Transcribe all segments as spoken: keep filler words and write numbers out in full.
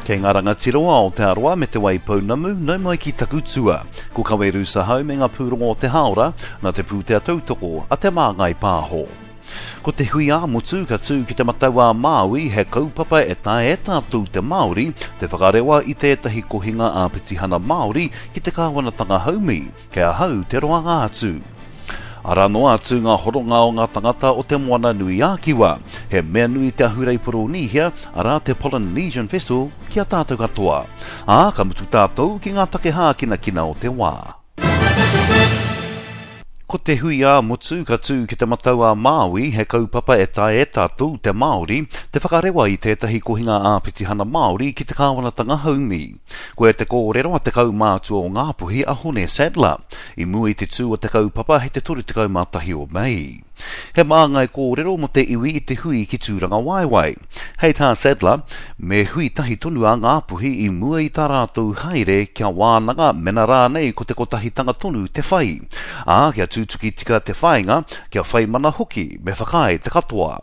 Kei ngā rangatira o Aotearoa me Te Waipounamu, nau mai ki taku tua. Ko Kawe Sahau me ngā pūrongo o te Haora, nā te pūtea tautoko a Te Māngai Pāho. Ko te hui ā-motu ka tū ki Te Matau-a-Māui he kaupapa e taea e tātou te Māori te whakarewa i tētahi kohinga ā-petihana Māori ki te kāwanatanga haumi, kei ahau te roanga atu. Arā noa atu ngā horonga o ngā tangata o Te Moana Nui ā-Kiwa. He mea nui te ahurei Poronīhia, arā te Polynesian Festival, ki a tātou katoa. Ā, ka mutu tātou ki ngā take hākinakina o te wā. Ko te hui ā-motu ka tū ki Te Matau-a-Māui he kaupapa e taea e tātou te Māori te whakarewa i tētahi kohinga ā-petihana Māori ki te kāwanatanga haumi. Koia te kōrero a te kaumātua o Ngāpuhi a Hone Sadler, i mua i te tū o te kaupapa hei te toru tekau mā tahi o Mei. He māngai kōrero mō te iwi i te hui ki Tūrangawaewae. Hei tā Sadler, me hui tahi tonu a Ngāpuhi i mua i tā rātou haere kia wānanga mena rānei ko te kotahitanga tonu te whai. Ā, kia tutuki tika te whāinga, kia whai mana hoki, me whakaae te katoa.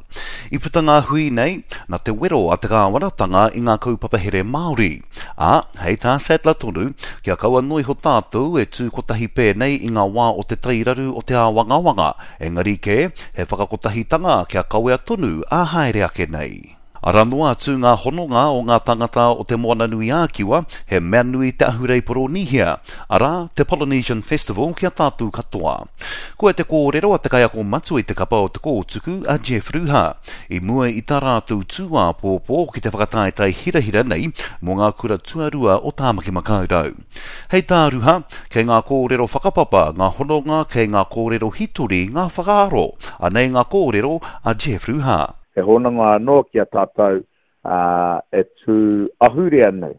I puta ngā hui nei, nā te wero a te kāwanatanga i ngā kaupapa here Māori. Ā, hei tā Sadler tonu, kia kaua noa iho tātou e tū kotahi pēnei i ngā wā o te tairaru o te āwangawanga, engari kē, he whakakotahitanga kia kawea tonu ā haere ake nei. Arā noa atu ngā hononga o ngā tangata o Te Moana-nui-ā-Kiwa, he mea nui te ahurei Poronīhia, arā, te Polynesian Festival ki a tātou katoa. Koia te kōrero a te kaiako matua i te kapa o Te Kōtuku, a Jeff Ruha, i mua i tā rātou tū āpōpō ki te whakataetae hirahira nei mō ngā kura tuarua o Tāmaki Makaurau. Hei tā Ruha, kei ngā kōrero whakapapa, ngā hononga, kei ngā kōrero hitori, ngā whakaaro. Anei ngā kōrero a Jeff Ruha. He hononga anō ki a tātou e tū ahurea nei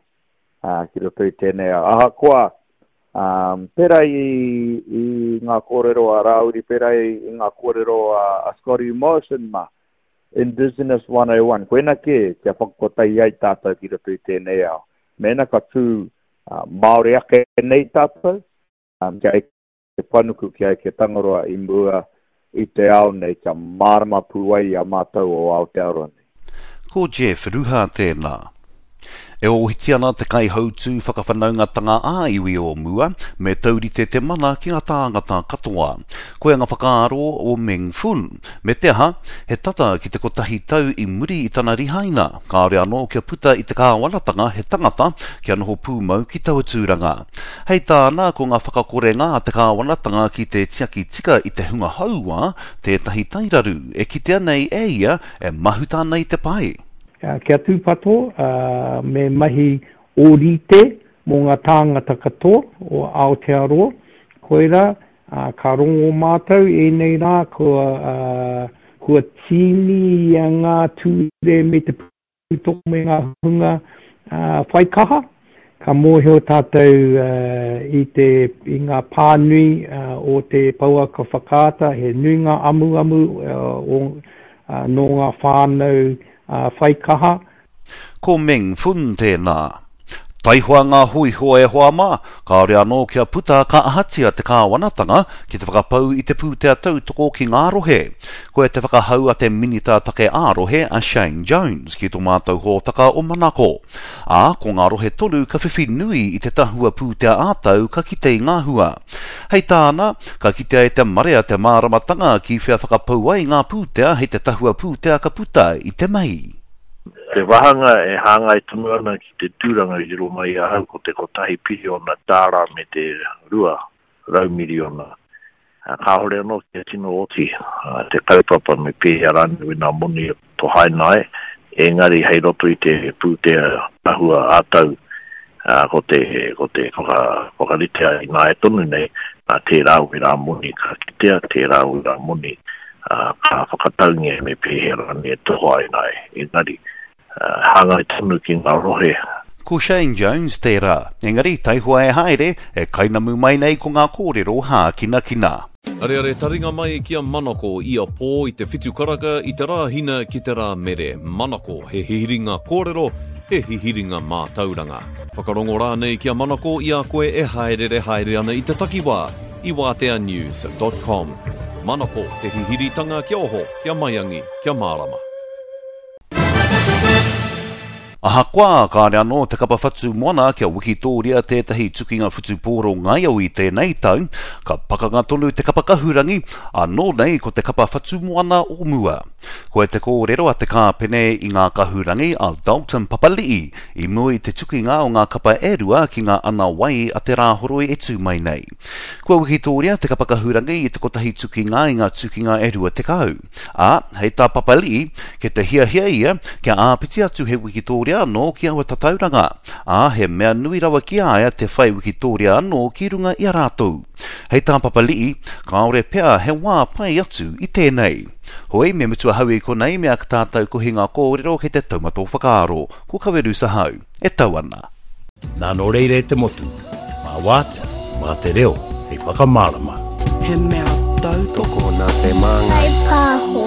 ki roto i tēnei ao. Ahakoa, pērā i ngā kōrero a Rāwiri, pērā i ngā kōrero a Scotty Morrison mā, Indigenous one oh one, koina kē kia whakakotahi ai tātou ki roto i tēnei ao. Mēnā ka tū Māori ake nei tātou, kia eke panuku, kia eke Tangaroa i mua i te ao nei, kia mārama pū ai i a mātou o Aotearoa nei. Ko Jeff Ruha tēnā. E ōhiti ana te kaihautū whakawhanaungatanga ā-iwi o mua, me taurite te mana ki ngā tāngata katoa. Koia ngā whakaaro o Meng Fun. Me te aha, he tata ki te kotahi tau i muri i tana rihaina, kāore anō kia puta i te kāwanatanga he tangata kia noho pūmau ki taua tūranga. Hei tāna, ko ngā whakakorenga a te kāwanatanga ki te tiaki tika i te hunga hauā tētahi tairaru e kitea nei e ia e mahuta ana i te pae. Kia tūpato, me mahi ōrite mō ngā tāngata katoa o Aotearoa. Koirā, ka rongo mātou ēnei rā kua, kua tīni ngā ture me te pūtoko me ngā hunga whai kaha. Ka mōhio tātou i te, i ngā pānui o te pouaka whakaata, he nui ngā amuamu o, nō ngā whānau whai kaha. Ko Meng Fun tēnā. Taihoa ngā hōiho e hoa mā, kāore anō kia puta ka ahatia te kāwanatanga ki te whakapau i te pūtea tautoko ki ngā rohe. Koia te whakahau a te minita take ā-rohe a Shane Jones ki tō mātou hōtaka o Manako. Ā, ko ngā rohe tonu ka whiwhi nui i te tahua pūtea ā-tau ka kite i ngā hua. Hei tāna, ka kitea e te marea te māramatanga ki whea whakapau ai ngā pūtea hei te tahua pūtea ka puta i te Mei. Te wāhanga e hāngai tonu ana ki te tūranga i riro mai i ahau ko te kotahi piriona tāra me te rua rau miriona. Kāhore anō kia tino oti te kaupapa me pēhea rānei wēnā moni tohaina ai, engari hei roto i te pūtea tahua ā-tau ko te, ko te whaka, whakaritea ināia tonu nei, nā tērā wērā moni ka kitea, tērā wērā moni ka whakataungia me pēhea rānei e tohaina ai, engari hāngai tonu ki ngā rohe. Ko Shane Jones tērā, engari taihoa e haere, e kainamu mai nei ko ngā kōrero hākinakina. Areare taringa mai ki a Manako ia pō i te whitu karaka i te rā hina ki te rā mere. Manako, he hihiringa kōrero, he hihiringa mātauranga. Whakarongo rānei ki a Manako i a koe e haerere haere ana i te takiwā i wātea news dot com. Manako, te hihiritanga kia oho, kia maiangi, kia mārama. Ahakoa, kāre anō te kapa Whatu Moana kia wikitōria tētahi tukinga whutupōro ngaio i tēnei tau, ka pakanga tonu te kapa Kahurangi, anō nei ko te kapa Whatu Moana o mua. Koe te kōrero a te kāpene i ngā Kahurangi a Dalton Papali'i i mua i te tukinga o ngā kapa e rua ki ngā ana wai a te Rāhoroi e tū mai nei. Kua wikitōria te kapa Kahurangi i te kotahi tukinga i ngā tukinga e rua tekau. Ā, hei tā Papali'i, kei te hiahia ia kia āpiti atu he wikitōria anō ki aua tatauranga, ā, he mea nui rawa ki a ia te whai wikitōria anō ki runga i a rātou. Hei tā Papali'i, kāore pea he wā pai atu i tēnei. Hoi, me mutu ahau i konei me aka tātou kohinga kōrero kei te taumata o whakaaro. Ko Kawerusa hau, e tau ana. Nā nō reira e te motu, mā wātea, mā te reo, hei whakamārama. He mea tautoko nā te māngai. Whai pāho.